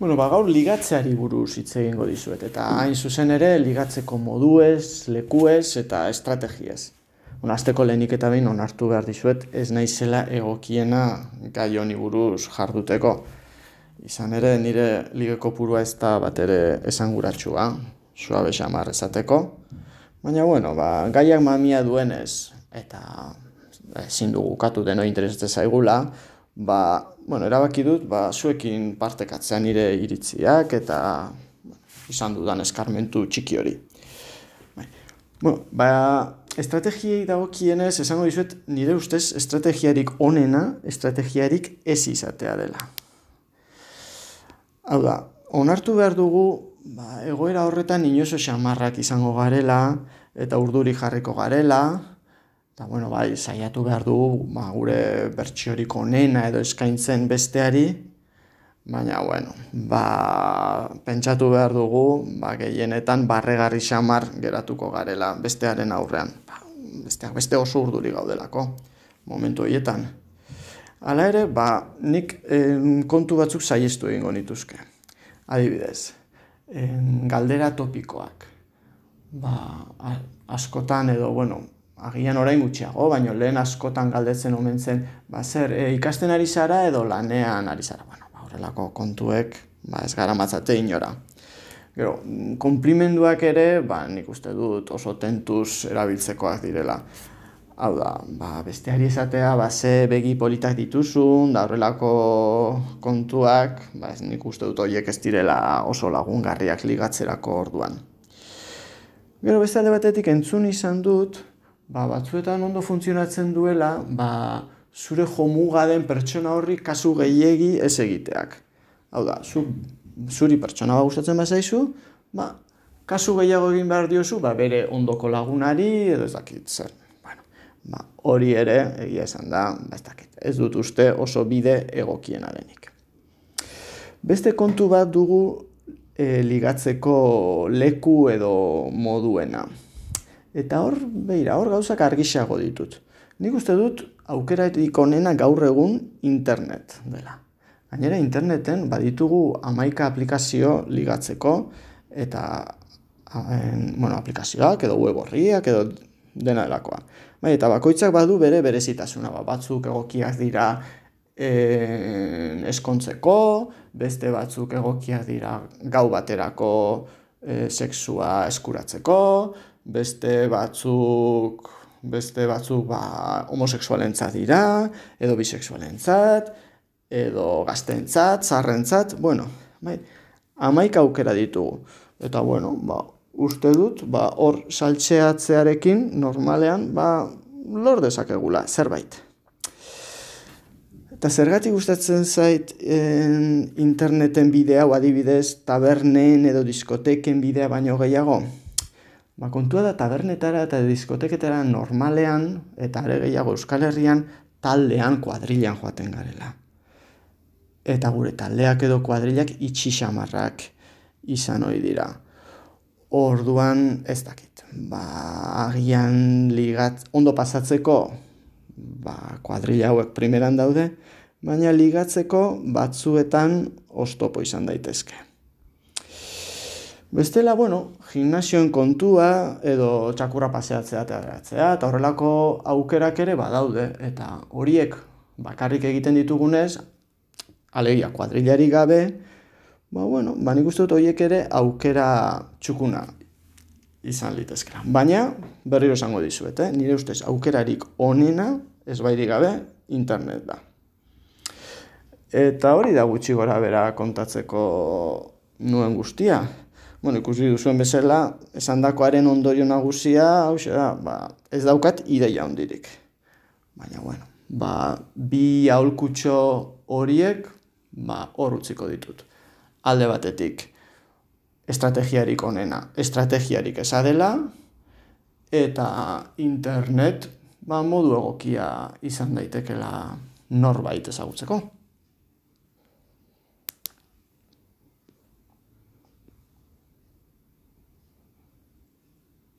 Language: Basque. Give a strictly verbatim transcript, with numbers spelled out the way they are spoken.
Bueno, ba, gaur ligatzeari buruz hitz egingo dizuet, eta hain zuzen ere ligatzeko moduez, lekuez eta estrategiez. Bueno, hasteko lehenik eta behin onartu behar dizuet, ez naizela egokiena gai honi buruz jarduteko. Izan ere, nire lige kopurua ez da bat ere esanguratsua, suabe xamar esateko. Baina, bueno, ba, gaiak mamia duenez, eta ezin dugu ukatu deno interesatzen zaigula, ba, bueno, erabaki dut, ba, zuekin partekatzea nire iritziak eta izan dudan eskarmentu txiki hori. Bueno, ba, estrategiei dagokienez esango dizuet nire ustez estrategiarik onena, estrategiarik ez izatea dela. Hau da, onartu behar dugu, ba, egoera horretan inozo xamarrak izango garela eta urduri jarriko garela, eta bueno, bai, saiatu behar dugu ba, gure bertsiorik onena edo eskaintzen besteari, baina, bueno, ba, pentsatu behar dugu, ba, gehienetan barregarri xamar geratuko garela bestearen aurrean. Ba, besteak beste oso urduri gaudelako, momentu horietan. Hala ere, ba, nik eh, kontu batzuk saihestu egingo nituzke. Adibidez, eh, galdera topikoak. Ba, askotan edo, bueno, agian orain gutxiago, baina lehen askotan galdetzen omen zen, ba, zer, e, ikasten ari zara edo lanean ari zara. Bueno, ba, horrelako kontuek, ba, ez gara matzate inora. Gero, konplimenduak ere, ba, nik uste dut oso tentuz erabiltzekoak direla. Hau da, ba, besteari esatea, ba, ze begi politak dituzun, da horrelako kontuak, ba, ez nik uste dut horiek ez direla oso lagungarriak ligatzerako orduan. Gero, beste alde batetik entzun izan dut, ba, batzuetan ondo funtzionatzen duela, ba, zure jomuga den pertsona horri kasu gehiegi ez egiteak. Hau da, zu, zuri pertsona bat gustatzen bazaizu, ba, kasu gehiago egin behar diozu, ba, bere ondoko lagunari edo ez dakit zer. Bueno, ba, hori ere, egia esan da, ba, ez dakit, ez dut uste oso bide egokiena denik. Beste kontu bat dugu e, ligatzeko leku edo moduena. Eta hor, beira, hor gauzak argisago ditut. Nik uste dut aukeratik onena gaur egun internet dela. Gainera interneten baditugu hamaika aplikazio ligatzeko eta bueno, aplikazioak edo web horriak edo dena delakoa. Bai, eta bakoitzak badu bere berezitasuna, ba, batzuk egokiak dira e, eskontzeko, beste batzuk egokiak dira gau baterako e, sexua eskuratzeko, beste batzuk, beste batzuk ba, homosexualentzat dira, edo bisexualentzat, edo gaztentzat, zaharrentzat, bueno, bai, hamaika aukera ditugu. Eta, bueno, ba, uste dut, ba, hor saltxeatzearekin normalean, ba, lor dezakegula, zerbait. Eta zergatik gustatzen zait en, interneten bidea, o adibidez, tabernen edo diskoteken bidea baino gehiago? Ba, kontua da tabernetara eta diskoteketara normalean, eta are gehiago Euskal Herrian, taldean, kuadrilan joaten garela. Eta gure taldeak edo kuadrilak itxi xamarrak izan ohi dira. Orduan, ez dakit, ba, agian ligat, ondo pasatzeko, ba, kuadrila hauek primeran daude, baina ligatzeko batzuetan oztopo izan daitezke. Bestela, bueno, gimnasioen kontua edo txakurra paseatzea eta geratzea, eta horrelako aukerak ere badaude, eta horiek bakarrik egiten ditugunez, alegia kuadrilari gabe, ba, bueno, ba, nik uste dut horiek ere aukera txukuna izan litezkera. Baina, berriro esango dizuet, eh? Nire ustez aukerarik onena, ez bairik gabe, internet da. Eta hori da gutxi gora bera kontatzeko nuen guztia. Bueno, ikusi duzuen bezala, esandakoaren ondorio nagusia, hauxe da, ba, ez daukat ideia hondirik. Baina, bueno, ba, bi aholkutxo horiek, ba, hor utziko ditut. Alde batetik, estrategiarik onena, estrategiarik eza dela, eta internet, ba, modu egokia izan daitekela norbait ezagutzeko.